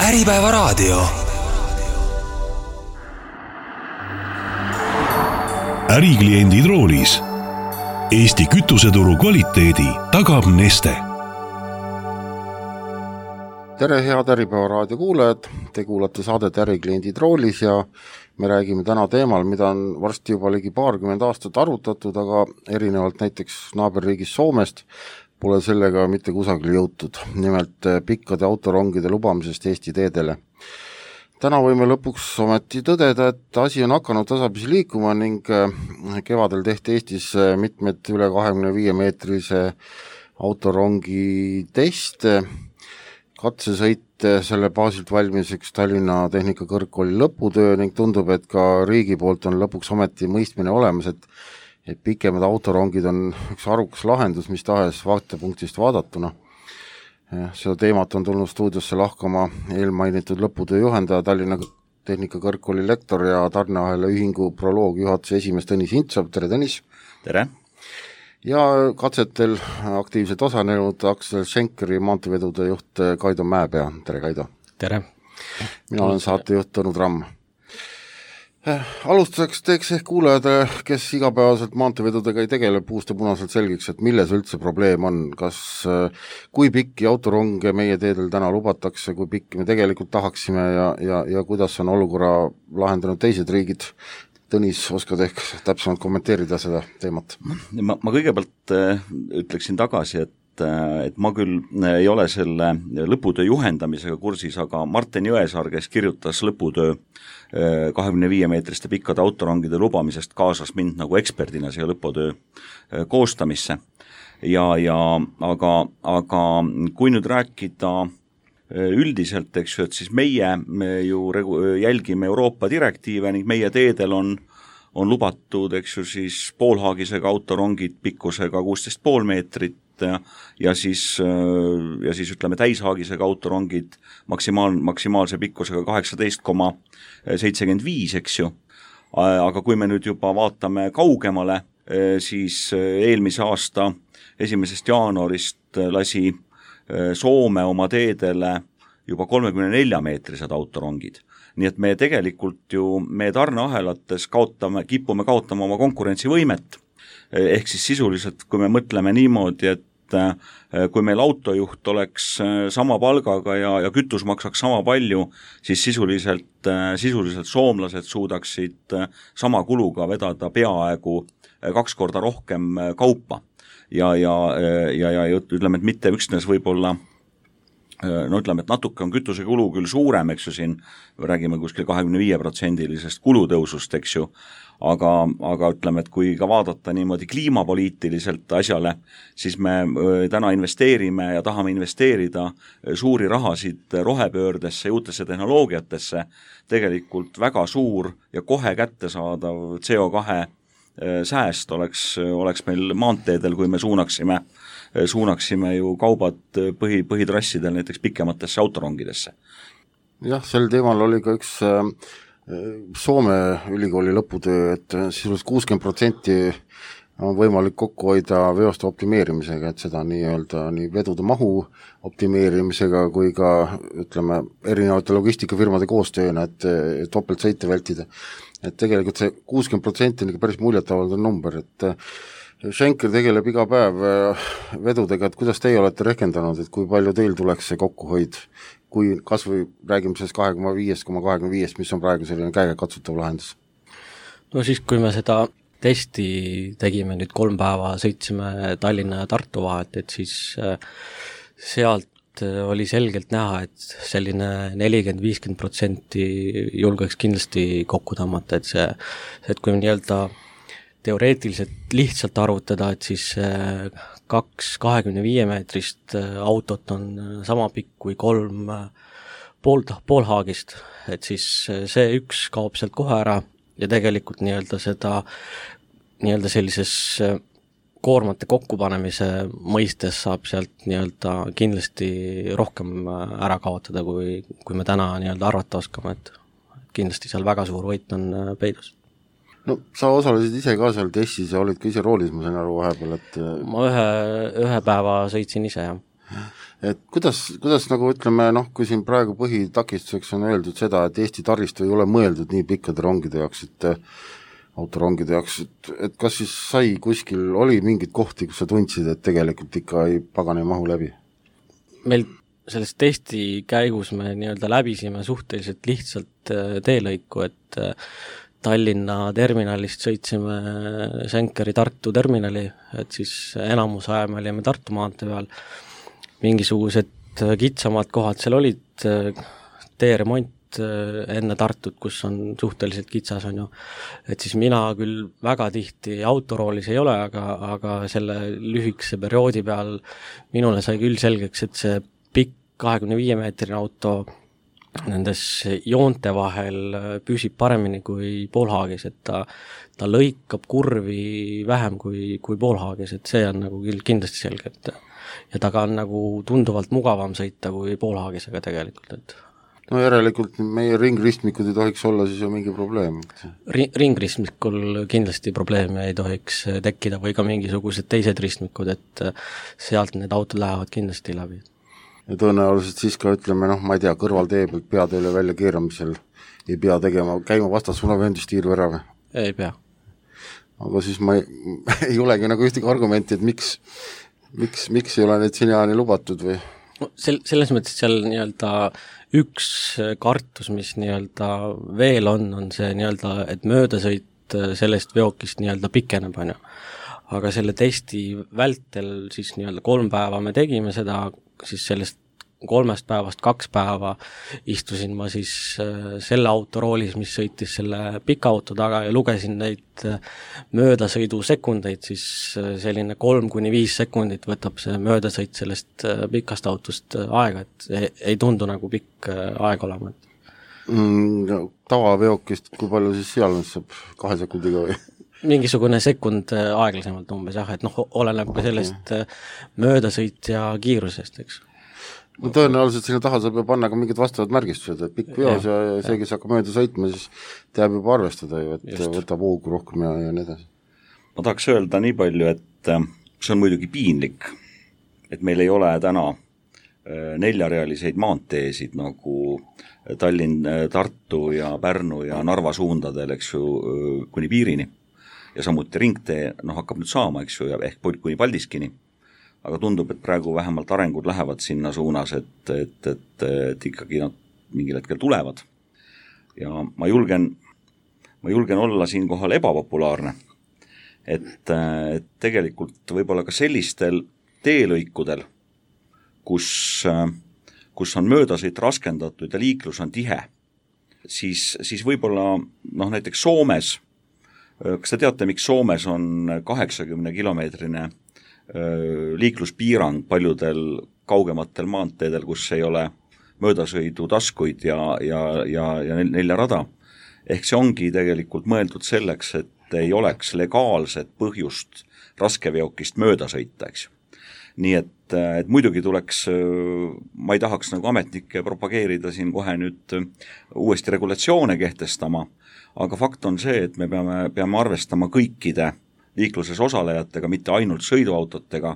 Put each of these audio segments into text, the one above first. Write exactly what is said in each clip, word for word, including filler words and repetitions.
Äripäevaraadio. Ärikliendid roolis. Eesti kütuseturu kvaliteedi tagab Neste. Tere head Äripäevaraadio kuulajad, te kuulate saadet Ärikliendid roolis ja me räägime täna teemal, mida on varsti juba ligi paarkümmend aastat arutatud, aga erinevalt näiteks naaberriigis Soomest pole sellega mitte kusagil jõutud, nimelt pikkade autorongide lubamisest Eesti teedele. Täna võime lõpuks ometi tõdeda, et asi on hakanud tasapisi liikuma ning kevadel tehti Eestis mitmed üle kahekümne viie meetrise autorongi teste, katsesõit selle baasilt valmiseks Tallinna Tehnikakõrgkooli lõputöö ning tundub, et ka riigi poolt on lõpuks ometi mõistmine olemas, et et pikemad autorongid on üks arukas lahendus, mis tahes vaatepunktist vaadatuna. Seda teemat on tulnud stuudiosse lahkama eelmainitud lõputöö juhendaja, Tallinna Tehnikakõrgkooli lektor ja tarneahela ühingu proloog juhatuse esimees Tõnis Hintsov. Tere Tõnis! Tere! Ja katsetel aktiivselt osanenud Aksel Schenkeri maanteevedude juht Kaido Mäepea. Tere Kaido! Tere! Mina olen saatejuht Tõnu Tramm. Alustuseks teeks ehk kuulajad, kes igapäevaselt maanteevedudega ei tegele, puust ja punaselt selgiks, et milles üldse probleem on, kas kui pikki autoronge meie teedel täna lubatakse, kui pikki me tegelikult tahaksime ja, ja, ja kuidas on olukorra lahendanud teised riigid. Tõnis, oskad ehk täpsemalt kommenteerida seda teemat? Ma, ma kõigepealt ütleksin tagasi, et et ma küll ei ole selle lõputöö juhendamisega kursis, aga Martin Jõesaar, kes kirjutas lõputöö kahekümne viie meetriste pikkade autorongide lubamisest, kaasas mind nagu eksperdina siia lõputöö koostamisse. Ja, ja, aga, aga kui nüüd rääkida üldiselt, eks ju, et siis meie me ju jälgime Euroopa direktiive ning meie teedel on on lubatud, eks ju, siis poolhaagisega autorongid pikkusega kuusteist pool meetrit ja, ja siis, ja siis ütleme täishaagisega autorongid maksimaal, maksimaalse pikkusega kaheksateist koma seitsekümmend viis, eks ju. Aga kui me nüüd juba vaatame kaugemale, siis eelmise aasta esimesest jaanuarist lasi Soome oma teedele juba kolmekümne nelja meetrised autorongid. Nii et me tegelikult ju, me tarneahelates kaotame, kipume kaotama oma konkurentsivõimet, ehk siis sisuliselt, kui me mõtleme niimoodi, et kui meil autojuht oleks sama palgaga ja, ja kütus maksaks sama palju, siis sisuliselt, sisuliselt soomlased suudaksid sama kuluga vedada peaaegu kaks korda rohkem kaupa. Ja, ja, ja, ja ütleme, et mitte üksnes võib-olla no ütleme, et natuke on kütuse kulu küll suurem, eks ju, siin räägime kuskil kahekümne viie protsendilisest kulutõusust, eks ju, aga, aga ütleme, et kui ka vaadata niimoodi kliimapoliitiliselt asjale, siis me täna investeerime ja tahame investeerida suuri rahasid rohepöördesse, uutesse tehnoloogiatesse, tegelikult väga suur ja kohe kättesaadav C O kahe sääst oleks, oleks meil maanteedel, kui me suunaksime suunaksime ju kaubad põhi, põhitrassidel näiteks pikematesse autorongidesse. Jah, sel teemal oli ka üks Soome ülikooli lõputöö, et sisuliselt kuuskümmend protsenti on võimalik kokku hoida veoste optimeerimisega, et seda nii-öelda nii vedude mahu optimeerimisega kui ka ütleme erinevate logistikafirmade koostööna, et topeltsõite vältida. Et tegelikult see kuuskümmend protsenti on ikka päris muljetavaldav number, et Schenker tegeleb iga päev vedudega, et kuidas teie olete rehkendanud, et kui palju teil tuleks see kokkuhoid, kui kas või räägime sellest kahekümne viis koma kahekümne viis, mis on praegu selline käegakatsutav lahendus? No siis, kui me seda testi tegime nüüd kolm päeva, sõitsime Tallinna ja Tartu vahet, et siis sealt oli selgelt näha, et selline nelikümmend viis protsenti julgeks kindlasti kokku tõmmata, et see, et kui nii-öelda teoreetiliselt lihtsalt arvutada, et siis kaks kahekümne viie meetrist autot on sama pikk kui kolm pool, poolhaagist, et siis see üks kaob sealt kohe ära ja tegelikult nii-öelda seda nii-öelda sellises koormate kokkupanemise mõistes saab sealt nii-öelda kindlasti rohkem ära kaotada, kui, kui me täna nii-öelda arvata oskame, et kindlasti seal väga suur võit on peidus. No sa osalesid ise ka seal testis ja olid ka ise roolis, ma sain aru vahepeal, et ma ühe, ühe päeva sõitsin ise, jah. et kuidas, kuidas nagu ütleme, noh, kui siin praegu põhitakistuseks on öeldud seda, et Eesti taristu ei ole mõeldud nii pikkade rongide jaoks, et autorongide jaoks, et, et kas siis sai kuskil, oli mingid kohti, kus sa tundsid, et tegelikult ikka ei pagane mahu läbi? Meil selles testi käigus me nii-öelda läbisime suhteliselt lihtsalt teelõiku, et Tallinna terminalist sõitsime Senkeri Tartu terminali, et siis enamus aja me olime Tartu maantee peal. Mingisugused kitsamad kohad seal olid, teeremont enne Tartut, kus on suhteliselt kitsas, on ju. Et siis mina küll väga tihti autoroolis ei ole, aga, aga selle lühikese perioodi peal minule sai küll selgeks, et see pikk kahekümne viie meetrine auto nendes joonte vahel püsib paremini kui poolhaagis, et ta, ta lõikab kurvi vähem kui, kui poolhaagis, et see on nagu küll kindlasti selge, et ja taga on nagu tunduvalt mugavam sõita kui poolhaagisega tegelikult, et no järelikult meie ringristmikud ei tohiks olla siis ju mingi probleem. Ring, ringristmikul kindlasti probleeme ei tohiks tekkida või ka mingisugused teised ristmikud, et sealt need autod lähevad kindlasti läbi. Ja tõenäoliselt siis ka ütleme, noh, ma ei tea, kõrvaltee pealt peateele välja keeramisel ei pea tegema, käima vastassuuna vööndistiiru ära või? Ei pea. Aga siis ma ei, ei olegi nagu ühtegi argumenti, et miks, miks, miks ei ole neid sinjaani lubatud või? No, sel, selles mõttes seal nii-öelda üks kartus, mis nii-öelda veel on, on see nii-öelda, et möödasõit sellest veokist nii-öelda pikeneb, on ju. Aga selle testi vältel siis nii-öelda kolm päeva me tegime seda, siis sellest kolmest päevast kaks päeva istusin ma siis selle autoroolis, mis sõitis selle pika auto taga ja lugesin neid möödasõidu sekundeid, siis selline kolm kuni viis sekundit võtab see möödasõit sellest pikast autost aega, et ei, ei tundu nagu pikk aeg olema. Mm, tavaveokist, kui palju siis seal saab kahe sekundiga või? Mingisugune sekund aeglasemalt umbes, jah, et noh, oleneb ka sellest möödasõit ja kiirusest, eks. No tõenäoliselt sinna taha saab panna ka mingid vastavad märgistused, et pikk veos ja, ja see, kes hakkab mööda sõitma, siis teab juba arvestada ju, et just. Võtab hoogu rohkem ja, ja nii edasi. Ma tahaks öelda nii palju, et see on muidugi piinlik, et meil ei ole täna neljarealiseid maanteesid nagu Tallinn, Tartu ja Pärnu ja Narva suundadel, eks ju, kuni piirini. Ja samuti ringtee, noh, hakkab nüüd saama, eks ju, ehk kuni Paldiskini. Aga tundub, et praegu vähemalt arengud lähevad sinna suunas, et, et, et, et ikkagi nad mingil hetkel tulevad. Ja ma julgen, ma julgen olla siin kohal ebapopulaarne, et, et tegelikult võib-olla ka sellistel teelõikudel, kus, kus on möödasõit raskendatud ja liiklus on tihe, siis, siis võib-olla noh, näiteks Soomes, kas te teate, miks Soomes on kaheksakümne kilomeetrine liikluspiirang paljudel kaugematel maanteedel, kus ei ole möödasõidu taskuid ja, ja, ja, ja nelja rada. Ehk see ongi tegelikult mõeldud selleks, et ei oleks legaalset põhjust raskeveokist mööda sõita, eks. Nii et, et muidugi tuleks, ma ei tahaks nagu ametnikke propageerida siin kohe nüüd uuesti regulatsioone kehtestama, aga fakt on see, et me peame, peame arvestama kõikide liikluses osalejatega, mitte ainult sõiduautotega,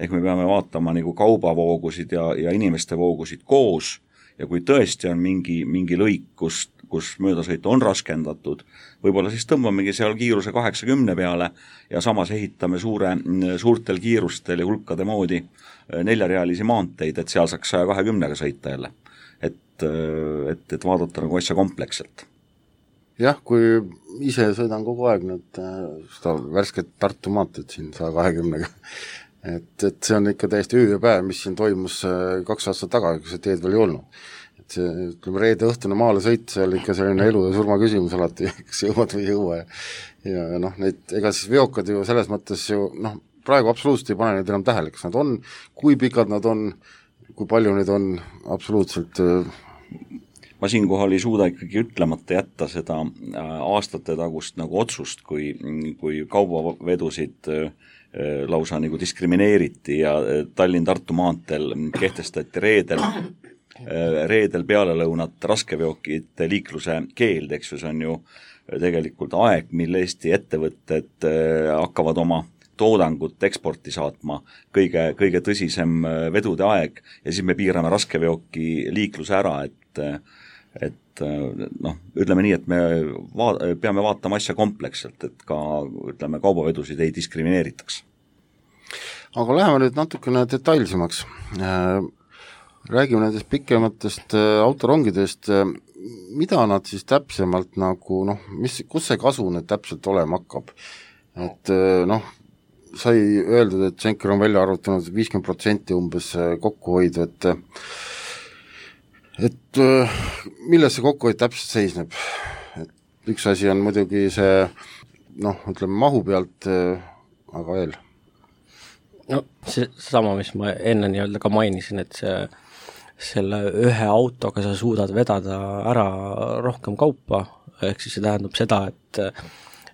ehk me peame vaatama nagu kaubavoogusid ja, ja inimeste voogusid koos ja kui tõesti on mingi, mingi lõik, kus, kus möödasõit on raskendatud, võib-olla siis tõmbamegi seal kiiruse kaheksakümne peale ja samas ehitame suure, suurtel kiirustel ja hulkade moodi neljarealisi maanteid, et seal saaks saja kahekümnega sõita jälle. Et, et, et vaadata nagu asja kompleksselt. Jah, kui ise sõidan kogu aeg nüüd seda värsket Tartu maanteed siin saja kahekümnega, et, et see on ikka täiesti öö ja päev, mis siin toimus kaks aastat taga, kui see teed veel ei olnud. Et see, ütleme, reede õhtune maale sõit, see oli ikka selline elu ja surma küsimus alati, kas jõuad või ei jõua. Ja, ja noh, neid, ega siis veokad ju selles mõttes ju, noh, praegu absoluutselt ei pane neid enam tähele, kas nad on, kui pikad nad on, kui palju neid on, absoluutselt ma siinkohal ei suuda ikkagi ütlemata jätta seda aastate tagust nagu otsust, kui, kui kaubavedusid lausa nagu diskrimineeriti ja Tallinn-Tartu maanteel kehtestati reedel, reedel pealelõunat raskeveokite liikluse keeld, eks ju, see on ju tegelikult aeg, mille Eesti ettevõtted hakkavad oma toodangut eksporti saatma, kõige, kõige tõsisem vedude aeg ja siis me piirame raskeveoki liikluse ära, et et noh, ütleme nii, et me va- peame vaatama asja kompleksselt, et ka ütleme, kaubavedusid ei diskrimineeritaks. Aga läheme nüüd natukene detailsemaks. Räägime nendest pikematest autorongidest, mida nad siis täpsemalt nagu, noh, mis, kus see kasu nüüd täpselt olema hakkab? Et noh, sai öeldud, et Schenker on välja arvutanud viiskümmend protsenti umbes kokkuhoidu, et et milles see kokkuhoid täpselt seisneb? Et üks asi on muidugi see, noh, ütleme mahu pealt, aga veel? No see sama, mis ma enne nii-öelda ka mainisin, et see, selle ühe autoga sa suudad vedada ära rohkem kaupa, ehk siis see tähendab seda, et,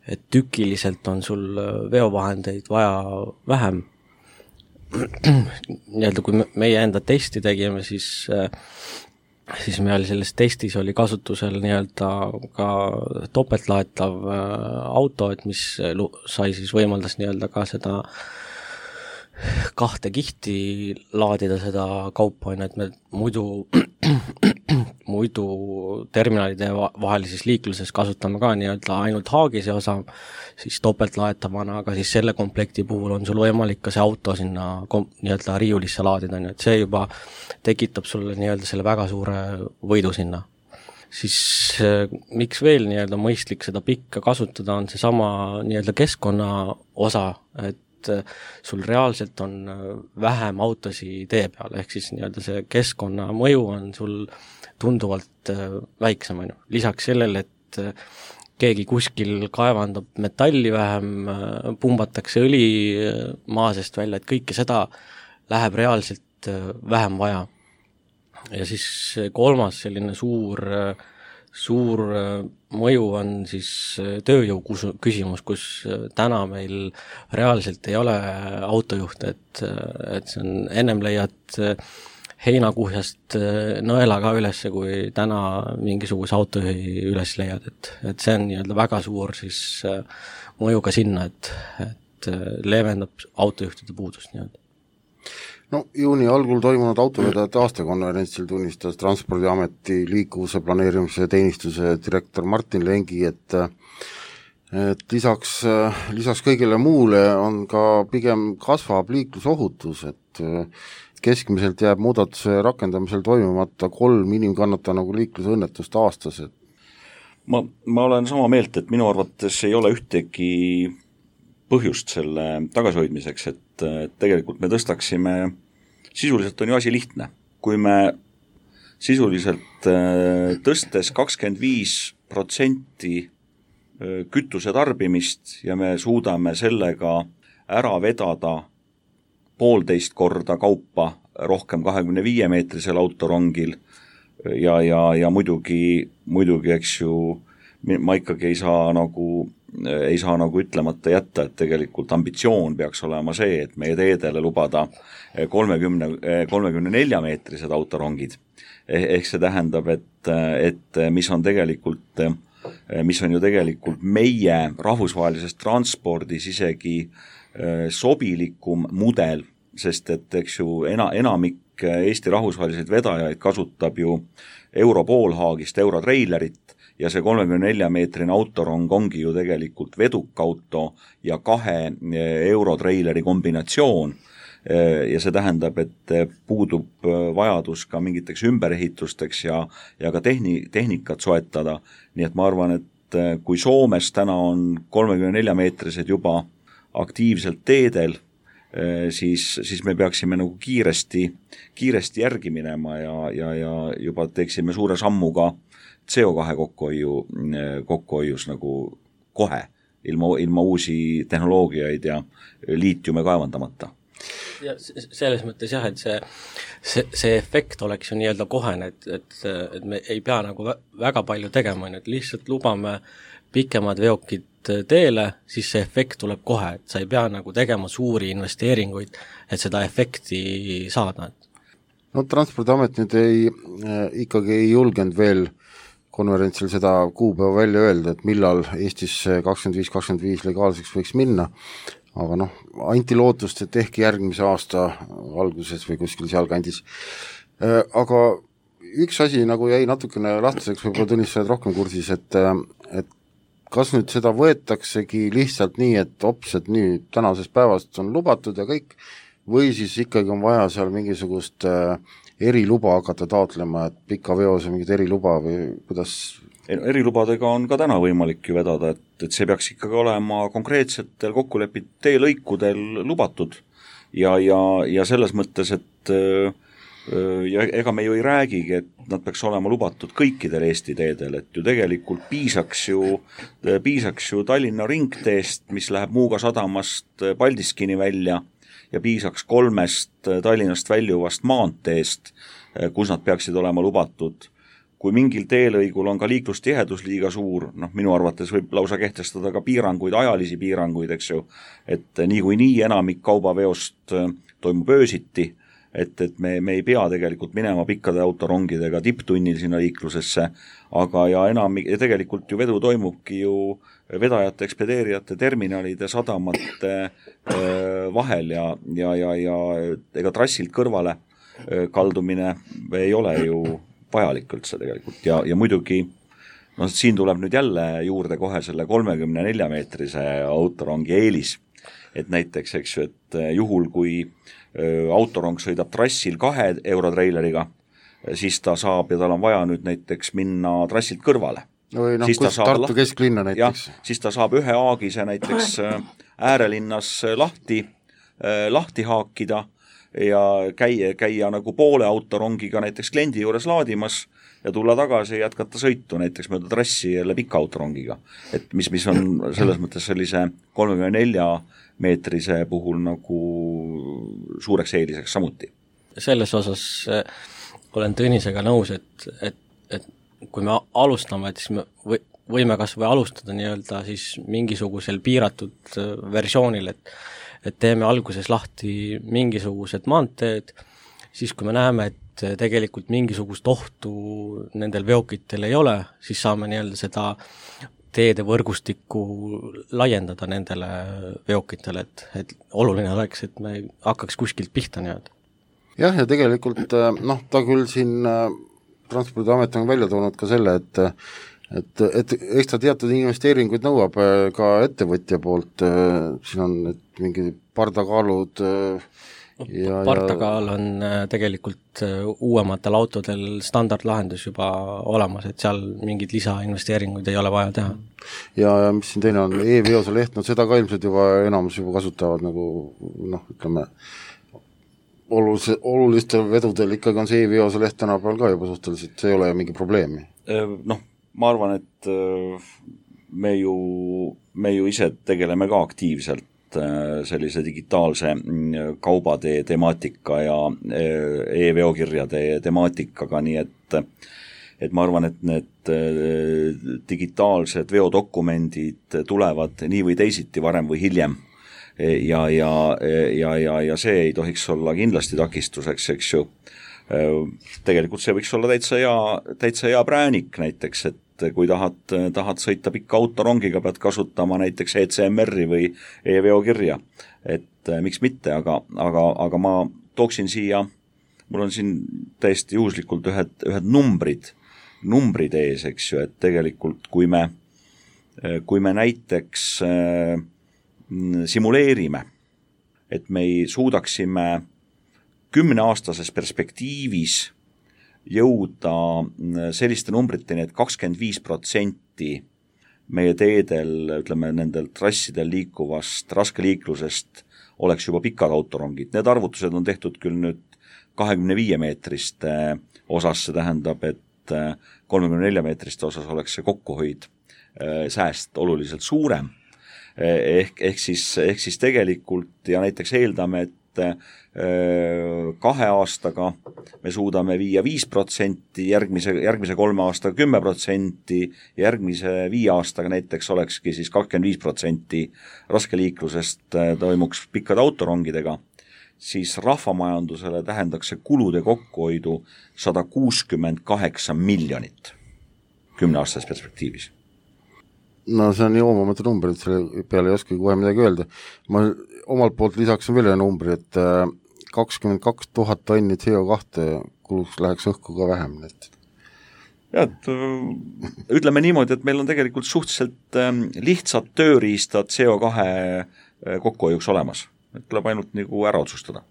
et tükiliselt on sul veovahendeid vaja vähem. Nii-öelda kui meie enda testi tegime, siis siis meil selles testis oli kasutusel nii-öelda ka topeltlaetav auto, et mis sai siis võimaldas nii-öelda ka seda kahte kihti laadida seda kaupa, et me muidu muidu terminalide vahelises liikluses kasutame ka nii-öelda ainult haagise osa, siis topeltlaetavana, aga siis selle komplekti puhul on sul võimalik ka see auto sinna kom- nii-öelda riiulisse laadida, nii et see juba tekitab sulle nii-öelda selle väga suure võidu sinna. Siis miks veel nii-öelda mõistlik seda pikka kasutada, on see sama nii-öelda keskkonna osa, et sul reaalselt on vähem autosi tee peal, ehk siis nii-öelda see keskkonna mõju on sul tunduvalt väiksem. Lisaks sellele, et keegi kuskil kaevandab metalli vähem, pumbatakse õli maa seest välja, et kõike seda läheb reaalselt vähem vaja. Ja siis kolmas selline suur suur mõju on siis tööjõu küsimus, kus täna meil reaalselt ei ole autojuhte, et, et see on, ennem leiad heinakuhjast nõela ka üles, kui täna mingisuguse autojuhi üles leiad, et, et see on nii-öelda väga suur siis mõju ka sinna, et, et leevendab autojuhtide puudust nii-öelda. No juuni algul toimunud autovedajate aastakonverentsil tunnistas Transpordiameti liikuvuse planeerimise teenistuse direktor Martin Lengi, et et lisaks, lisaks kõigele muule on ka pigem kasvab liiklusohutus, et keskmiselt jääb muudatuse rakendamisel toimumata kolm inimkannata nagu liiklusõnnetust aastas. Et ma, ma olen sama meelt, et minu arvates ei ole ühtegi põhjust selle tagasihoidmiseks, et tegelikult me tõstaksime, sisuliselt on ju asi lihtne, kui me sisuliselt tõstes kakskümmend viis protsenti kütuse tarbimist ja me suudame sellega ära vedada poolteist korda kaupa rohkem kahekümne viie meetrisel autorongil ja, ja, ja muidugi, muidugi, eks ju, ma ikkagi ei saa nagu ei saa nagu ütlemata jätta, et tegelikult ambitsioon peaks olema see, et meie teedele lubada kolmekümne, kolmekümne nelja meetrised autorongid. Ehk see tähendab, et, et mis on tegelikult, mis on ju tegelikult meie rahvusvahelises transpordis isegi sobilikum mudel, sest et eks ju ena, enamik Eesti rahvusvaheliseid vedajaid kasutab ju europoolhaagist eurotreilerit, ja see kolmekümne nelja meetrine autorong ongi ju tegelikult vedukauto ja kahe eurotreileri kombinatsioon ja see tähendab, et puudub vajadus ka mingiteks ümberehitusteks ja, ja ka tehni, tehnikat soetada, nii et ma arvan, et kui Soomes täna on kolmekümne nelja meetrised juba aktiivselt teedel, siis, siis me peaksime nagu kiiresti, kiiresti järgi minema ja, ja, ja juba teeksime suure sammu ka C O kahe kokkuhoiu, kokkuhoius nagu kohe, ilma, ilma uusi tehnoloogiaid ja liitiume kaevandamata. Ja selles mõttes jah, et see, see, see efekt oleks ju nii-öelda kohene, et, et, et me ei pea nagu väga palju tegema, et lihtsalt lubame pikemad veokid teele, siis see efekt tuleb kohe, et sa ei pea nagu tegema suuri investeeringuid, et seda efekti saada. No Transpordiamet nüüd ei, ikkagi ei julgenud veel konverentsil seda kuupäeva välja öelda, et millal Eestis kakskümmend viis kakskümmend viis legaalseks võiks minna, aga noh, anti lootust, et ehk järgmise aasta alguses või kuskil sealkandis. Aga üks asi nagu jäi natukene lahtiseks, võib-olla Tõnis, sa oled rohkem kursis, et, et kas nüüd seda võetaksegi lihtsalt nii, et ops, et nüüd tänasest päevast on lubatud ja kõik, või siis ikkagi on vaja seal mingisugust eriluba hakata taotlema, et pika veose mingit eriluba või kuidas? Erilubadega on ka täna võimalik ju vedada, et, et see peaks ikkagi olema konkreetsetel kokkulepid teelõikudel lubatud ja, ja, ja selles mõttes, et ja ega me ju ei räägigi, et nad peaks olema lubatud kõikidel Eesti teedel, et ju tegelikult piisaks ju, piisaks ju Tallinna ringteest, mis läheb Muuga sadamast Paldiskini välja ja piisaks kolmest Tallinnast väljuvast maanteest, kus nad peaksid olema lubatud. Kui mingil teelõigul on ka liiklustihedus liiga suur, noh minu arvates võib lausa kehtestada ka piiranguid, ajalisi piiranguid, eks ju, et nii kui nii enamik kaubaveost toimub öösiti, et, et me, me ei pea tegelikult minema pikkade autorongidega tipptunnil sinna liiklusesse, aga ja enam, ja tegelikult ju vedu toimubki ju vedajate, ekspedeerijate, terminalide, sadamate vahel ja, ja, ja, ja ega trassilt kõrvale kaldumine ei ole ju vajalik üldse tegelikult ja, ja muidugi no siin tuleb nüüd jälle juurde kohe selle kolmekümne nelja meetrise autorongi eelis, et näiteks, eks ju, et juhul kui autorong sõidab trassil kahe eurotreileriga, siis ta saab ja tal on vaja nüüd näiteks minna trassilt kõrvale. või noh, kus Tartu kesklinna näiteks. Ja, siis ta saab ühe aagise näiteks äärelinnas lahti, lahti haakida ja käia, käia nagu poole autorongiga näiteks kliendi juures laadimas ja tulla tagasi ja jätkata sõitu näiteks mööda trassi jälle pika autorongiga. Et mis, mis on selles mõttes sellise kolmekümne nelja meetrise puhul nagu suureks eeliseks samuti. Selles osas olen Tõnisega nõus, et, et, et kui me alustame, et siis me võime kas või alustada nii-öelda siis mingisugusel piiratud versioonil, et et teeme alguses lahti mingisugused maanteed, siis kui me näeme, et tegelikult mingisugust ohtu nendel veokitel ei ole, siis saame nii-öelda seda teede võrgustikku laiendada nendele veokitele, et, et oluline oleks, et me hakkaks kuskilt pihta nii-öelda. Jah, ja tegelikult noh, ta küll siin Transpordiamet on välja toonud ka selle, et et, et eks ta teatud investeeringuid nõuab ka ettevõtja poolt, siin on et mingi pardakaalud ja, pardakaal on tegelikult uuematel autodel standardlahendus juba olemas, et seal mingid lisainvesteeringuid ei ole vaja teha. Ja, ja mis siin teine on, e-veose leht, no seda ka ilmselt juba enamus juba kasutavad nagu noh, ütleme olulise, olulistel vedudel ikkagi on see e-veose leht tänapäeval ka juba suhteliselt, see ei ole mingi probleemi. Noh, ma arvan, et me ju, me ju ise tegeleme ka aktiivselt sellise digitaalse kaubade temaatika ja e-veokirjade temaatikaga, nii et, et ma arvan, et need digitaalsed veodokumendid tulevad nii või teisiti varem või hiljem ja, ja, ja, ja, ja see ei tohiks olla kindlasti takistuseks, eks ju. Tegelikult see võiks olla täitsa hea, täitsa hea präänik näiteks, et kui tahad, tahad sõita pikka autorongiga, pead kasutama näiteks E C M R-i või e-veokirja, et miks mitte, aga, aga, aga ma tooksin siia, mul on siin täiesti juhuslikult ühed, ühed numbrid, numbrid ees, eks ju, et tegelikult kui me, kui me näiteks simuleerime, et me ei suudaksime kümneaastases perspektiivis jõuda selliste numbriteni, et kakskümmend viis protsenti meie teedel, ütleme, nendel trassidel liikuvast raskeliiklusest oleks juba pikad autorongid. Need arvutused on tehtud küll nüüd kahekümne viie meetriste osas, see tähendab, et kolmekümne nelja meetriste osas oleks see kokkuhoid sääst oluliselt suurem. Ehk, ehk, siis, ehk siis tegelikult ja näiteks eeldame, et kahe aastaga me suudame viia viis protsenti, järgmise, järgmise kolme aastaga kümme protsenti, järgmise viie aastaga näiteks olekski siis kakskümmend viis protsenti raskeliiklusest toimuks pikkade autorongidega, siis rahvamajandusele tähendaks see kulude kokkuhoidu sada kuuskümmend kaheksa miljonit kümneaastases perspektiivis. no see on joomamatu number, et selle peale ei oska kohe midagi öelda. Ma omalt poolt lisaksin veel ühe numbri, et kakskümmend kaks tuhat tonni C O kahe kuluks läheks õhku ka vähem. Et ja, et ütleme niimoodi, et meil on tegelikult suhteliselt lihtsad tööriistad C O kahe kokkuhoiuks olemas. Et tuleb ainult nagu ära otsustada.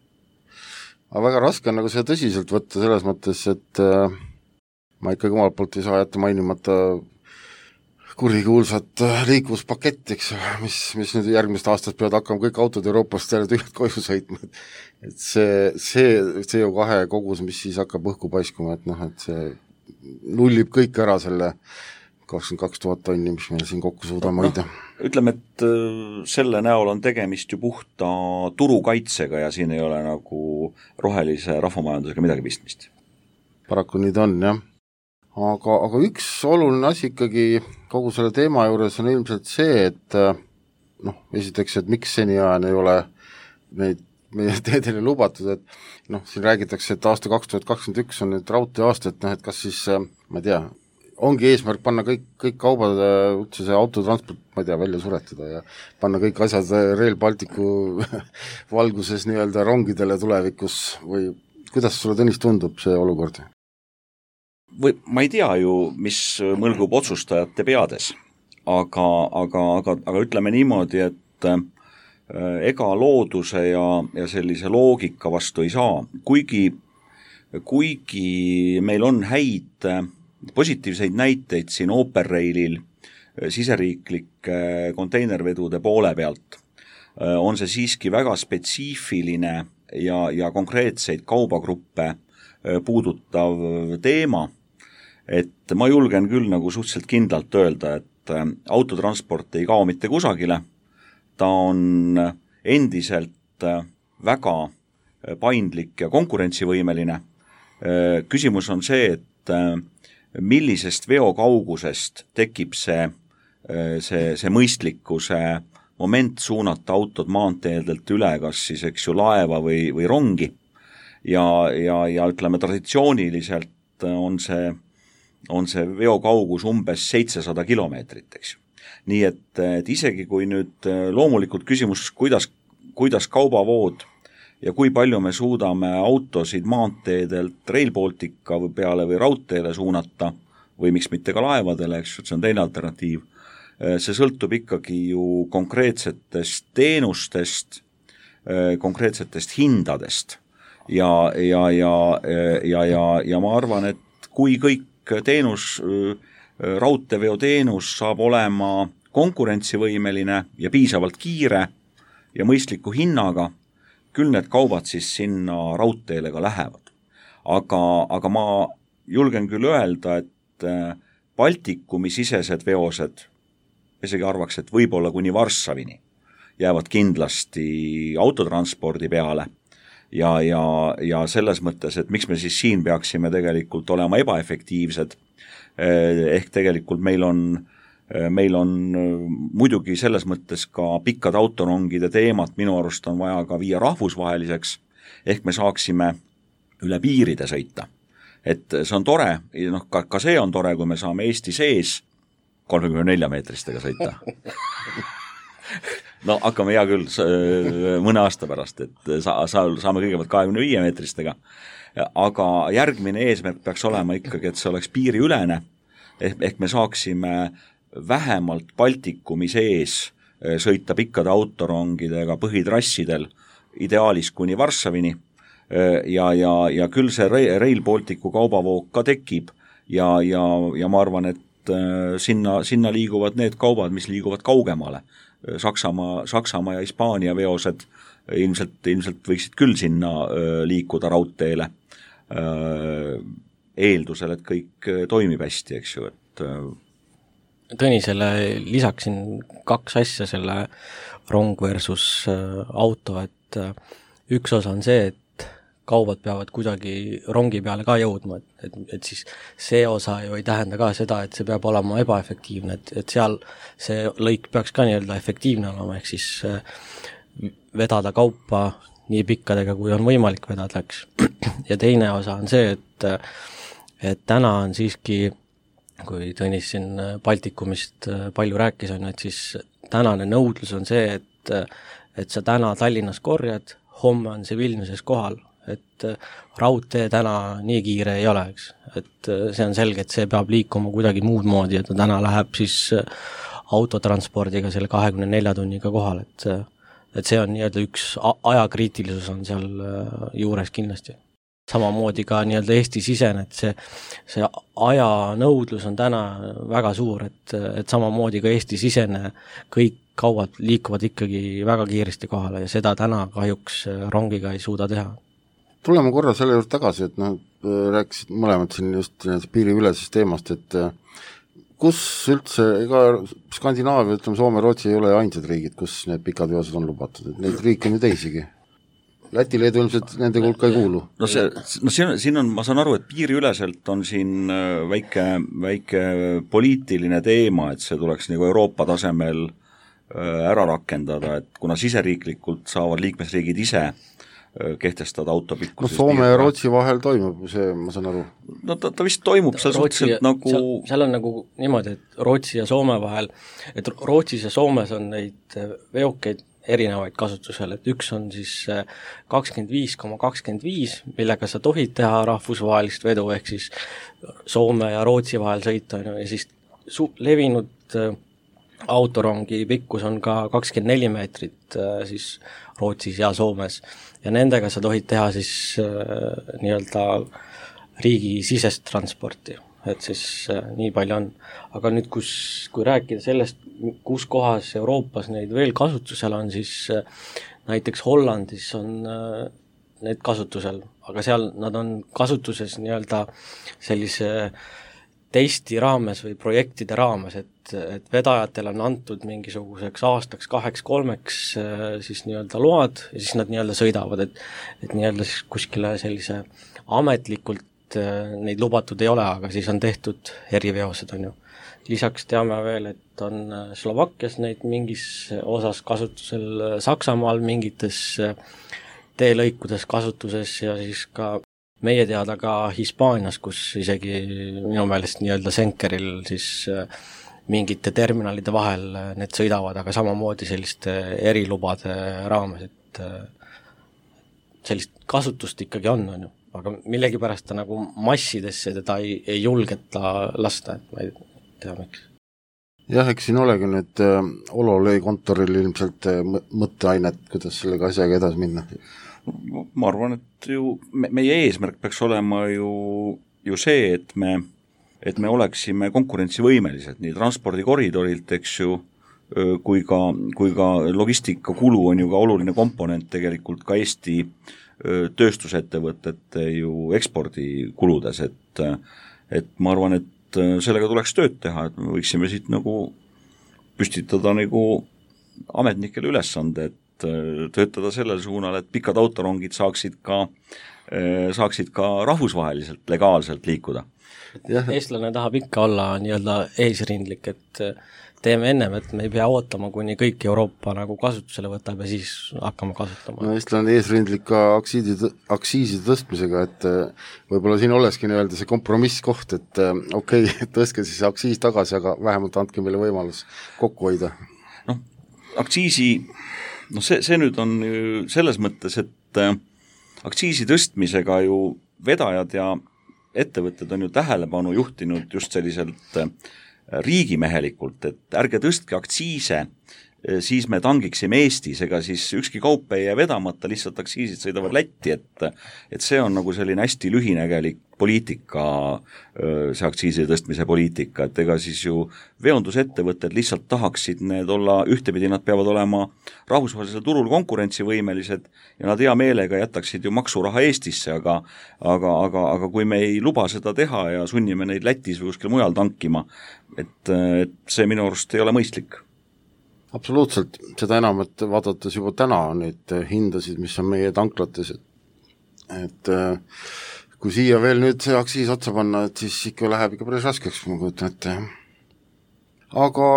Aga väga raske on nagu seda tõsiselt võtta selles mõttes, et äh, ma ikkagi omalt poolt ei saa jätta mainimata kurikuulsat liikluspakett, eks, mis, mis nüüd järgmist aastast peavad hakkama kõik autod Euroopast jälle tühjad koju sõitma. Et see, see C O kahe kogus, mis siis hakkab õhku paiskuma, et noh, et see nullib kõik ära selle kakskümmend kaks tuhat tonni, mis meil siin kokku suudame hoida. No, ütleme, et selle näol on tegemist ju puhta turukaitsega ja siin ei ole nagu rohelise rahvamajandusega midagi pistmist. Paraku nii ta on, jah. Aga, aga üks oluline asi ikkagi kogu selle teema juures on ilmselt see, et noh, esiteks, et miks seniajani ei ole neid meie teedele lubatud, et noh, siin räägitakse, et aasta kaks tuhat kakskümmend üks on nüüd raudtee aasta, et noh, et kas siis, ma ei tea, ongi eesmärk panna kõik, kõik kaubad, üldse see autotransport, ma ei tea, välja suretada ja panna kõik asjad Rail Balticu valguses nii-öelda rongidele tulevikus või kuidas sulle, Tõnis, tundub see olukord? Või ma ei tea ju, mis mõlgub otsustajate peades, aga, aga, aga, aga ütleme niimoodi, et ega looduse ja, ja sellise loogika vastu ei saa, kuigi, kuigi meil on häid positiivseid näiteid siin Operrailil siseriiklike konteinervedude poole pealt, on see siiski väga spetsiifiline ja, ja konkreetseid kaubagruppe puudutav teema, et ma julgen küll nagu suhteliselt kindlalt öelda, et autotransport ei kao mitte kusagile, ta on endiselt väga paindlik ja konkurentsivõimeline. Küsimus on see, et millisest veokaugusest tekib see, see, see mõistlikkuse moment suunata autod maanteedelt üle, kas siis eks ju laeva või, või rongi ja, ja, ja ütleme traditsiooniliselt on see, on see veokaugus umbes seitsesada kilomeetrit, eks ju. Nii et, et isegi kui nüüd loomulikult küsimus, kuidas, kuidas kaubavood ja kui palju me suudame autosid maanteedelt Rail Baltica või peale või raudteele suunata või miks mitte ka laevadele, eks, see on teine alternatiiv. See sõltub ikkagi ju konkreetsetest teenustest, konkreetsetest hindadest ja, ja, ja, ja, ja, ja ma arvan, et kui kõik teenus, raudteeveo teenus saab olema konkurentsivõimeline ja piisavalt kiire ja mõistliku hinnaga, küll need kaubad siis sinna raudteele ka lähevad. Aga, aga ma julgen küll öelda, et Baltikumi sisesed veosed, isegi arvaks, et võib-olla kuni Varssavini jäävad kindlasti autotranspordi peale ja, ja, ja selles mõttes, et miks me siis siin peaksime tegelikult olema ebaefektiivsed, ehk tegelikult meil on meil on muidugi selles mõttes ka pikkad autorongide teemat minu arust on vaja ka viia rahvusvaheliseks, ehk me saaksime üle piiride sõita. Et see on tore, noh, ka, ka see on tore, kui me saame Eesti sees kolmekümne nelja meetristega sõita. No hakkame hea küll mõne aasta pärast, et sa, sa, saame kõigepealt kahekümne viie meetristega, aga järgmine eesmärk peaks olema ikkagi, et see oleks piiriülene, ehk, ehk me saaksime vähemalt Baltikumi sees sõita pikkade autorongidega põhitrassidel, ideaalis kuni Varssavini ja, ja, ja küll see Rail Balticu kaubavoog ka tekib ja, ja, ja ma arvan, et sinna, sinna liiguvad need kaubad, mis liiguvad kaugemale. Saksamaa, Saksamaa ja Hispaania veosed ilmselt, ilmselt võiksid küll sinna liikuda raudteele eeldusel, et kõik toimib hästi, eks ju, et Tõnisele lisaksin kaks asja selle rong versus auto, et üks osa on see, et kaubad peavad kuidagi rongi peale ka jõudma, et, et, et siis see osa ju ei tähenda ka seda, et see peab olema ebaefektiivne, et, et seal see lõik peaks ka nii-öelda efektiivne olema, ehk siis vedada kaupa nii pikkadega, kui on võimalik vedada, eks. Ja teine osa on see, et, et täna on siiski kui Tõnis siin Baltikumist palju rääkis, on, et siis tänane nõudlus on see, et, et sa täna Tallinnas korjad, homme on see Vilniuses kohal, et raudtee täna nii kiire ei ole, eks. Et see on selge, et see peab liikuma kuidagi muud moodi, et ta täna läheb siis autotranspordiga selle kahekümne nelja tunniga kohal, et, et see on nii-öelda üks ajakriitilisus on seal juures kindlasti. Samamoodi ka nii-öelda Eesti sisen, et see, see aja nõudlus on täna väga suur, et, et samamoodi ka Eesti sisene kõik kaubad liikuvad ikkagi väga kiiresti kohale ja seda täna kahjuks rongiga ei suuda teha. Tuleme korra selle juurde tagasi, et noh, rääkisid mõlemad siin just piiriülesest teemast, et kus üldse, ega Skandinaavia, ütleme Soome, Rootsi ei ole ainsad riigid, kus need pikad veosed on lubatud, et neid riike on ju teisigi. Läti, Leedu ilmselt nende hulka ei kuulu. No, see, no siin, siin on, ma saan aru, et piiriüleselt on siin väike, väike poliitiline teema, et see tuleks nagu Euroopa tasemel ära rakendada, et kuna siseriiklikult saavad liikmesriigid ise kehtestada autopikkuses. No Soome ja Rootsi vahel toimub see, ma saan aru. No ta, ta vist toimub seal suhteliselt nagu... Seal, seal on nagu niimoodi, et Rootsi ja Soome vahel, et Rootsis ja Soomes on neid veokeid erinevaid kasutusel, et üks on siis kakskümmend viis koma kakskümmend viis, millega sa tohid teha rahvusvahelist vedu, ehk siis Soome ja Rootsi vahel sõita, ja siis su- levinud autorongi pikkus on ka kakskümmend neli meetrit siis Rootsis ja Soomes ja nendega sa tohid teha siis nii-öelda riigi sisest transporti, et siis nii palju on. Aga nüüd, kus, kui rääkida sellest, kus kohas Euroopas neid veel kasutusel on, siis näiteks Hollandis on need kasutusel, aga seal nad on kasutuses nii-öelda sellise testi raames või projektide raames, et, et vedajatel on antud mingisuguseks aastaks, kaheks, kolmeks siis nii-öelda load ja siis nad nii-öelda sõidavad, et, et nii-öelda siis kuskile sellise ametlikult neid lubatud ei ole, aga siis on tehtud eriveosed, on ju. Lisaks teame veel, et on Slovakkias neid mingis osas kasutusel, Saksamaal mingites teelõikudes kasutuses ja siis ka meie teada ka Hispaanias, kus isegi minu meelest nii-öelda Senkeril siis mingite terminalide vahel need sõidavad, aga samamoodi selliste erilubade raames, et sellist kasutust ikkagi on, on ju. Aga millegipärast ta nagu massidesse teda ei, ei julgeta lasta, et ma ei tea miks. Jah, eks siin olegi nüüd äh, Ololöi kontoril ilmselt äh, mõtteainet, kuidas sellega asjaga edasi minna. Ma arvan, et ju me, meie eesmärk peaks olema ju, ju see, et me, et me oleksime konkurentsivõimelised nii transpordikoridorilt, eks ju, kui ka, kui ka logistikakulu on ju ka oluline komponent tegelikult ka Eesti tööstusettevõtete ju ekspordikuludes, et, et ma arvan, et sellega tuleks tööd teha, et me võiksime siit nagu püstitada nagu ametnikele ülesande, et töötada sellel suunal, et pikad autorongid saaksid ka, saaksid ka rahvusvaheliselt legaalselt liikuda. Eestlane tahab ikka olla nii-öelda eesrindlik, et teeme ennem, et me ei pea ootama, kuni kõik Euroopa nagu kasutusele võtab ja siis hakkame kasutama. No Eestlane eesrindlik ka aksiisi, aksiisi tõstmisega, et võib-olla siin oleski nii-öelda see kompromisskoht, et okei, okay, tõstke siis aksiis tagasi, aga vähemalt andke meile võimalus kokku hoida. Noh, aksiisi, noh see, see nüüd on ju selles mõttes, et aksiisi tõstmisega ju vedajad ja ettevõtted on ju tähelepanu juhtinud just selliselt riigimehelikult, et ärge tõstke aktsiise, siis me tangiksime Eestis, ega siis ükski kaup ei jää vedamata, lihtsalt aksiisid sõidavad Lätti, et, et see on nagu selline hästi lühinägelik poliitika, see aktsiisi tõstmise poliitika, et ega siis ju veondusettevõtted lihtsalt tahaksid need olla, ühtepidi nad peavad olema rahvusvahelisel turul konkurentsivõimelised ja nad hea meelega jätaksid ju maksuraha Eestisse, aga, aga, aga, aga kui me ei luba seda teha ja sunnime neid Lätis või kuskil mujal tankima, et, et see minu arust ei ole mõistlik. Absoluutselt, seda enam, et vaadates juba täna neid hindasid, mis on meie tanklates, et, et kui siia veel nüüd see aksiis otsa panna, et siis ikka läheb ikka päris raskeks, ma kujutan ette. Aga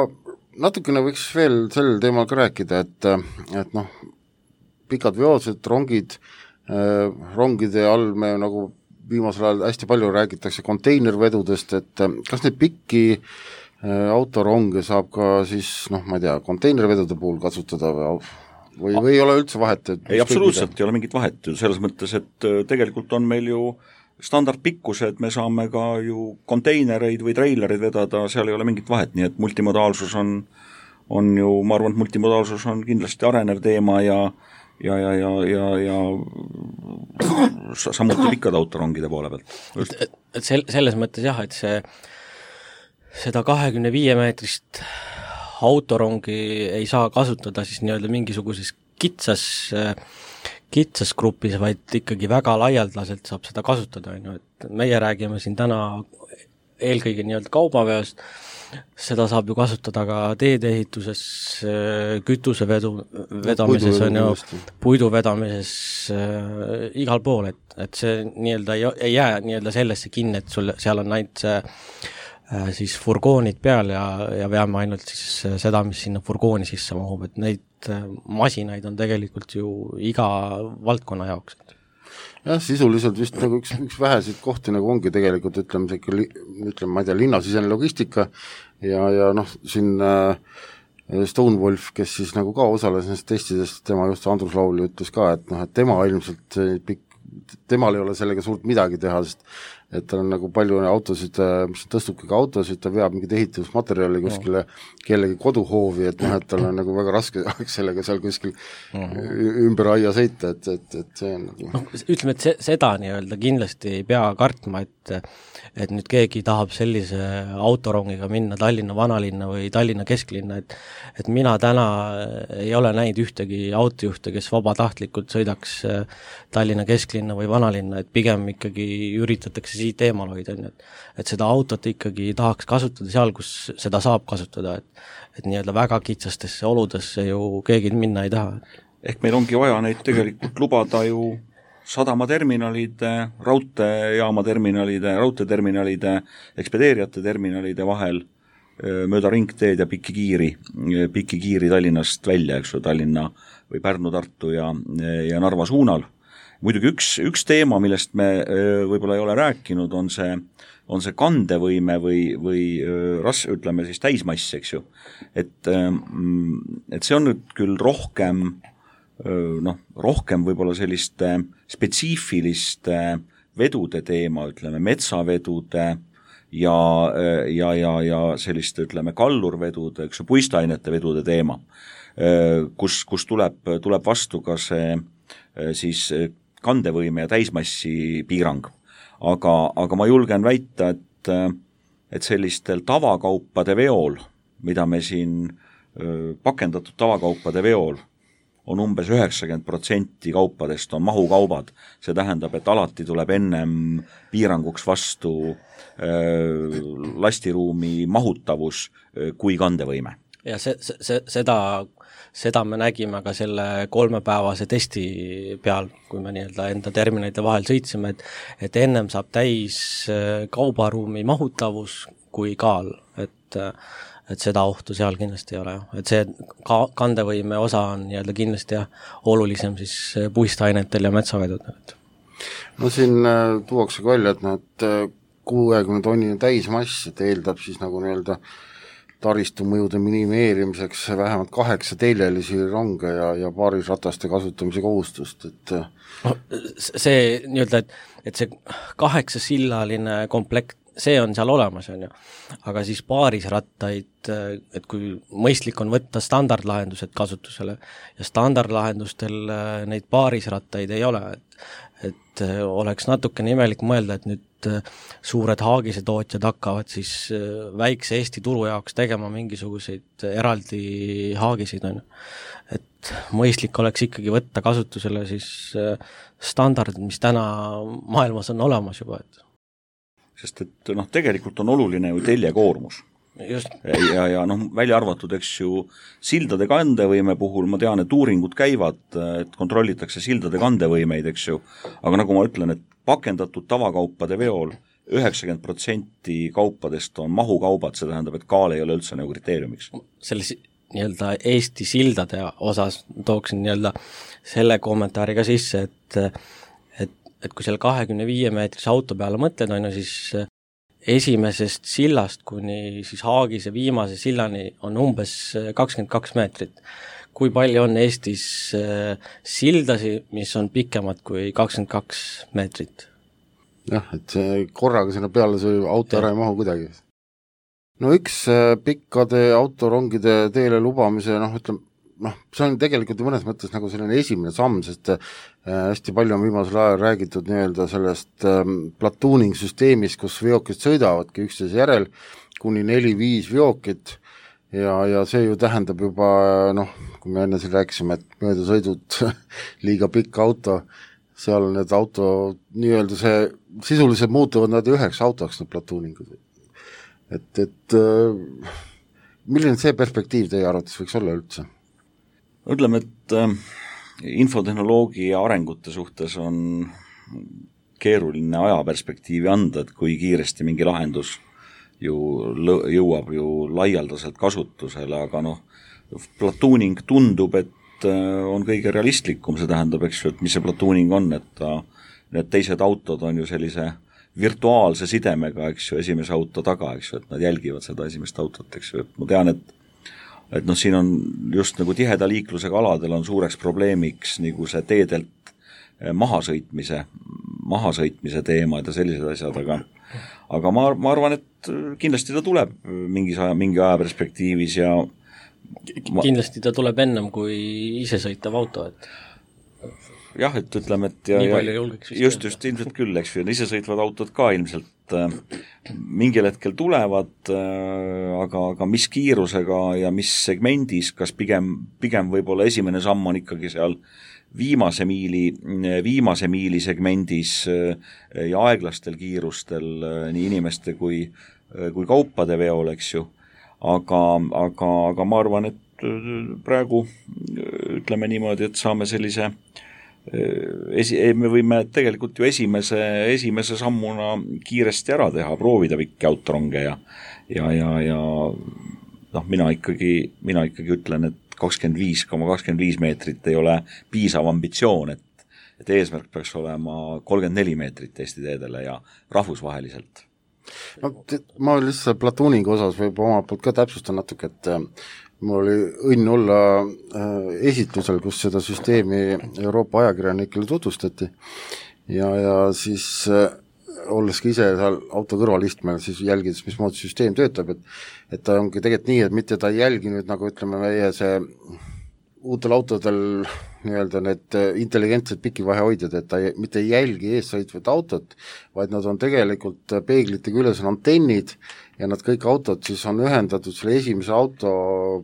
natukene võiks veel sellel teemal ka rääkida, et, et noh, pikad veosed, rongid, rongide all me nagu viimasel ajal hästi palju räägitakse konteinervedudest, et kas neid pikki autoronge saab ka siis, noh, ma ei tea, konteinervedude puhul kasutada või, või, või ei ole üldse vahet? Ei, absoluutselt mida? Ei ole mingit vahet ju, selles mõttes, et tegelikult on meil ju standardpikkused, me saame ka ju konteinereid või treilereid vedada, seal ei ole mingit vahet, nii et multimodaalsus on, on ju, ma arvan, et multimodaalsus on kindlasti arenev teema ja ja, ja, ja, ja, ja samuti pikkade autorongide poole pealt. et, et, et sel, selles mõttes jah, et see seda kahekümne viie meetrist autorongi ei saa kasutada siis nii-öelda mingisuguses kitsas, kitsas grupis, vaid ikkagi väga laialdaselt saab seda kasutada, on ju, et meie räägime siin täna eelkõige nii-öelda kaubaveost, seda saab ju kasutada ka teedeehituses, kütusevedu vedamises, on ju, puidu vedamises äh, igal pool, et, et see nii-öelda ei, ei jää nii-öelda sellesse kinni, et sul seal on ainult see äh, siis furgoonid peal ja, ja veame ainult siis seda, mis sinna furgooni sisse mahub, et neid äh, masinaid on tegelikult ju iga valdkonna jaoks. Jah, sisuliselt vist nagu üks, üks väheseid kohti nagu ongi tegelikult, ütleme, see, ütleme, ma ei tea, linnasisene logistika ja, ja noh, siin äh, Stonewolf, kes siis nagu ka osales nendest testidest, tema just Andrus Lauli ütles ka, et noh, et tema ilmselt pikk, temal ei ole sellega suurt midagi teha, sest et tal on nagu palju autosid, mis tõstubki ka autosid, ta veab mingid ehitusmaterjali kuskile no. kellegi koduhoovi, et noh, et tal on nagu väga raske sellega seal kuskil uh-huh. ümber aia sõita, et, et, et see on nagu... no, ütleme, et se, seda nii-öelda kindlasti ei pea kartma, et et nüüd keegi tahab sellise autorongiga minna Tallinna vanalinna või Tallinna kesklinna, et et mina täna ei ole näinud ühtegi autojuhte, kes vabatahtlikult sõidaks Tallinna kesklinna või vanalinna, et pigem ikkagi üritatakse siit eemal hoida, et, et seda autot ikkagi tahaks kasutada seal, kus seda saab kasutada, et, et nii-öelda väga kitsastesse oludesse ju keegi minna ei taha. Ehk meil ongi vaja neid tegelikult lubada ju sadamaterminalide, raudteejaama terminalide, raudteeterminalide, ekspedeerijate terminalide vahel mööda ringteed ja pikki kiiri, pikki kiiri Tallinnast välja, eks ju, Tallinna või Pärnu, Tartu ja, ja Narva suunal. Muidugi üks, üks teema, millest me võib-olla ei ole rääkinud, on see, on see kandevõime või, või ras-, ütleme siis täismass, eks ju. Et, et see on nüüd küll rohkem noh, rohkem võib-olla selliste spetsiifiliste vedude teema, ütleme, metsavedude ja, ja, ja, ja selliste, ütleme, kallurvedude, eks ju, puistainete vedude teema, kus, kus tuleb, tuleb vastu ka see siis kandevõime ja täismassi piirang. Aga, aga ma julgen väita, et, et sellistel tavakaupade veol, mida me siin pakendatud tavakaupade veol on umbes üheksakümmend protsenti kaupadest on mahukaubad. See tähendab, et alati tuleb ennem piiranguks vastu äh, lastiruumi mahutavus äh, kui kandevõime. Ja see, see, seda, seda me nägime ka selle kolmepäevase testi peal, kui me nii-öelda enda terminalide vahel sõitsime, et, et ennem saab täis kaubaruumi mahutavus kui kaal, et et seda ohtu seal kindlasti ei ole, et see ka kandevõime osa on nii-öelda kindlasti jah, olulisem siis puistainetel ja metsavedudel. No siin äh, tuuakse ka välja, et need kuuekümne tonnine täismass, et eeldab siis nagu nii-öelda taristu mõjude minimeerimiseks vähemalt kaheksa teljelisi ronge ja, ja paarisrataste kasutamise kohustust, et no, see nii-öelda, et, et see kaheksasillaline komplekt, see on seal olemas, on ju. Aga siis paarisrattaid, et kui mõistlik on võtta standardlahendused kasutusele ja standardlahendustel neid paarisrattaid ei ole, et, et oleks natukene imelik mõelda, et nüüd suured haagise tootjad hakkavad siis väikse Eesti turu jaoks tegema mingisuguseid eraldi haagisid, on ju. Et mõistlik oleks ikkagi võtta kasutusele siis standardid, mis täna maailmas on olemas juba, et sest et noh, tegelikult on oluline ju teljekoormus. Just. Ja, ja noh, välja arvatud, eks ju, sildade kandevõime puhul ma tean, et uuringud käivad, et kontrollitakse sildade kandevõimeid, eks ju, aga nagu ma ütlen, et pakendatud tavakaupade veol üheksakümmend protsenti kaupadest on mahukaubad, see tähendab, et kaal ei ole üldse nagu kriteeriumiks. Selles nii-öelda Eesti sildade osas tooksin nii-öelda selle kommentaari ka sisse, et et kui seal kahekümne viie meetrise auto peale mõtled, on ju, siis esimesest sillast kuni siis Haagise viimase sillani on umbes kakskümmend kaks meetrit. Kui palju on Eestis sildasi, mis on pikemad kui kakskümmend kaks meetrit? Jah, et see korraga sinna peale see auto ära ei mahu kuidagi. No üks pikkade autorongide teele lubamise, noh, ütleme, noh, see on tegelikult mõnes mõttes nagu selline esimene samm, sest hästi palju on viimasel ajal räägitud nii-öelda sellest platooning süsteemist, kus veokid sõidavadki üksteise järel kuni neli-viis veokit ja, ja see ju tähendab juba, noh, kui me enne siin rääkisime, et möödasõidud liiga pikk auto, seal need auto, nii-öelda see, sisuliselt muutuvad nad üheks autoks, need platooningud. Et, et milline see perspektiiv teie arvates võiks olla üldse? Ütleme, et äh, infotehnoloogia arengute suhtes on keeruline ajaperspektiivi anda, et kui kiiresti mingi lahendus ju lõ- jõuab ju laialdaselt kasutusele, aga noh, platooning tundub, et on kõige realistlikum, see tähendab, eks ju, et mis see platooning on, et ta, need teised autod on ju sellise virtuaalse sidemega, eks ju, esimese auto taga, eks ju, et nad jälgivad seda esimest autot, eks ju, et ma tean, et et noh, siin on just nagu tiheda liiklusega aladel on suureks probleemiks nagu see teedelt mahasõitmise, mahasõitmise teemad ja sellised asjad, aga aga ma, ma arvan, et kindlasti ta tuleb mingis aja, mingi aja perspektiivis ja kindlasti ta tuleb ennem kui isesõitav auto, et jah, et ütleme, et ja, ja just, just ilmselt küll, eks ju, isesõitvad autod ka ilmselt äh, mingil hetkel tulevad, äh, aga, aga mis kiirusega ja mis segmendis, kas pigem, pigem võib-olla esimene samm on ikkagi seal viimase miili, viimase miili segmendis äh, ja aeglastel kiirustel äh, nii inimeste kui, äh, kui kaupade veol, eks ju, aga, aga, aga ma arvan, et praegu ütleme niimoodi, et saame sellise Esi, me võime tegelikult ju esimese, esimese sammuna kiiresti ära teha, proovida pikki autoronge ja, ja, ja, ja noh, mina ikkagi, mina ikkagi ütlen, et kakskümmend viis koma kakskümmend viis meetrit ei ole piisav ambitsioon, et, et eesmärk peaks olema kolmkümmend neli meetrit Eesti teedele ja rahvusvaheliselt. No, ma lihtsalt platooningu osas võib oma poolt ka täpsustan natuke, et mul oli õnn olla esitlusel, kus seda süsteemi Euroopa ajakirjanikele tutvustati ja, ja siis olles ka ise seal auto kõrvalistmel, siis jälgides, mismoodi süsteem töötab, et, et ta ongi tegelikult nii, et mitte ta ei jälgi nüüd nagu ütleme meie see uutel autodel nii-öelda need intelligentsed pikivahehoidjad, et ta ei, mitte ei jälgi eessõitvat autot, vaid nad on tegelikult peeglitega üles on antennid ja nad kõik autod siis on ühendatud selle esimese auto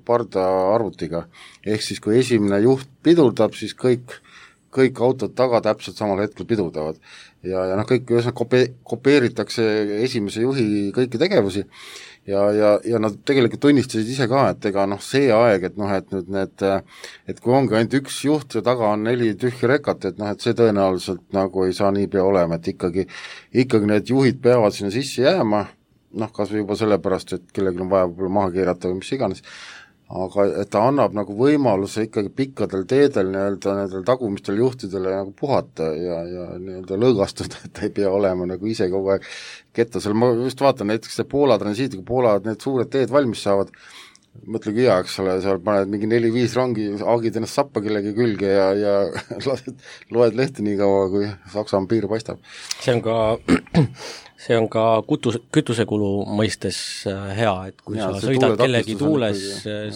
parda arvutiga. Ehk siis kui esimene juht pidurdab, siis kõik, kõik autod taga täpselt samal hetkel pidurdavad. Ja, ja noh, kõik kope, kopeeritakse esimese juhi kõiki tegevusi ja, ja, ja nad tegelikult tunnistasid ise ka, et ega noh, see aeg, et noh, et nüüd need, et kui ongi ainult üks juht ja taga on neli tühja rekat, et noh, et see tõenäoliselt nagu ei saa nii pea olema, et ikkagi, ikkagi need juhid peavad sinna sisse jääma, noh, kas või juba sellepärast, et kellelgi on vaja võib-olla maha keerata või mis iganes, aga et ta annab nagu võimaluse ikkagi pikkadel teedel nii-öelda nendel tagumistel juhtidele nagu puhata ja, ja nii-öelda lõõgastuda, et ta ei pea olema nagu ise kogu aeg kettasel. Ma just vaatan näiteks see Poola transiitiga, Poola need suured teed valmis saavad, mõtlegi hea, eks ole, seal paned mingi neli-viis rongi, aagid ennast sappa kellegi külge ja, ja loed lehti nii kaua, kui Saksa piir paistab. See on ka, see on ka kutus, kütusekulu mõistes hea, et kui ja, sa sõidad kellegi tuules,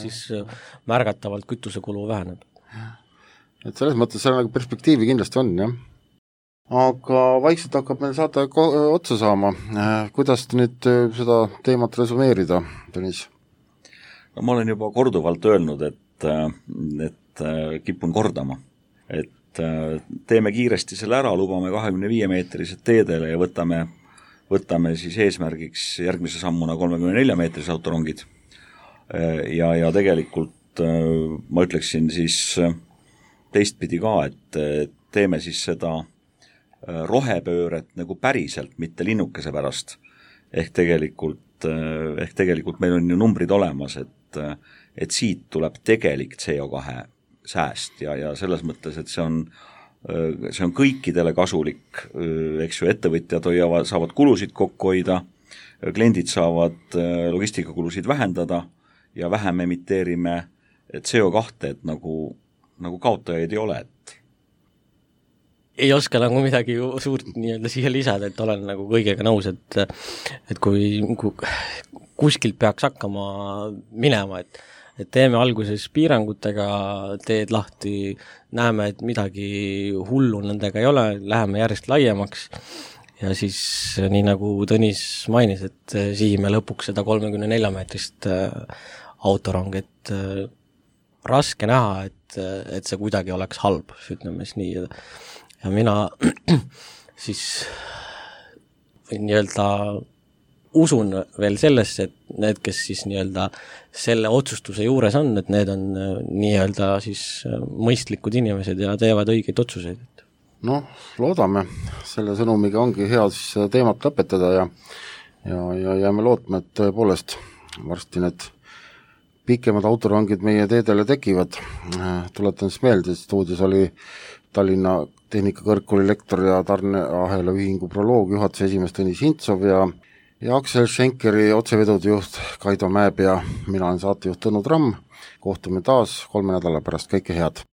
siis märgatavalt kütusekulu väheneb. Et selles mõttes seal nagu perspektiivi kindlasti on, jah. Aga vaikselt hakkab meil saada otsa saama. Kuidas nüüd seda teemat resumeerida, Tõnis? No, ma olen juba korduvalt öelnud, et, et kipun kordama, et teeme kiiresti selle ära, lubame kahekümne viie meetrised teedele ja võtame, võtame siis eesmärgiks järgmise sammuna kolmekümne nelja meetrised autorongid. Ja, ja tegelikult ma ütleksin siis teistpidi ka, et teeme siis seda rohepööret nagu päriselt, mitte linnukese pärast. Ehk tegelikult, ehk tegelikult meil on ju numbrid olemas, et et siit tuleb tegelik C O kahe sääst ja, ja selles mõttes, et see on see on kõikidele kasulik, eks ju, ettevõtjad hoiavad, saavad kulusid kokku hoida, kliendid saavad logistikakulusid vähendada ja vähem emiteerime C O kahte, et nagu, nagu kaotajaid ei ole, et ei oska nagu midagi suurt nii-öelda siia lisada, et olen nagu kõigega nõus, et et kui, kui kuskilt peaks hakkama minema, et et teeme alguses piirangutega, teed lahti, näeme, et midagi hullu nendega ei ole, läheme järjest laiemaks ja siis nii nagu Tõnis mainis, et sihime lõpuks seda kolmekümne nelja meetrist autorong, et raske näha, et, et see kuidagi oleks halb, ütleme siis nii. Ja mina siis nii-öelda usun veel sellesse, et need, kes siis nii-öelda selle otsustuse juures on, et need on nii-öelda siis mõistlikud inimesed ja teevad õigeid otsuseid. Noh, loodame, selle sõnumiga ongi hea siis teemat lõpetada ja, ja, ja jääme lootma, et tõepoolest varsti need pikemad autorongid meie teedele tekivad. Tuletan siis meelde, et stuudios oli Tallinna Tehnikakõrgkooli lektor ja tarneahela ühingu proloog juhatuse esimees Tõnis Hintsov ja, ja Aksel Schenkeri otsevedude juht Kaido Mäepea. Mina olen saatejuht Tõnu Tramm. Kohtume taas kolme nädala pärast, kõike head!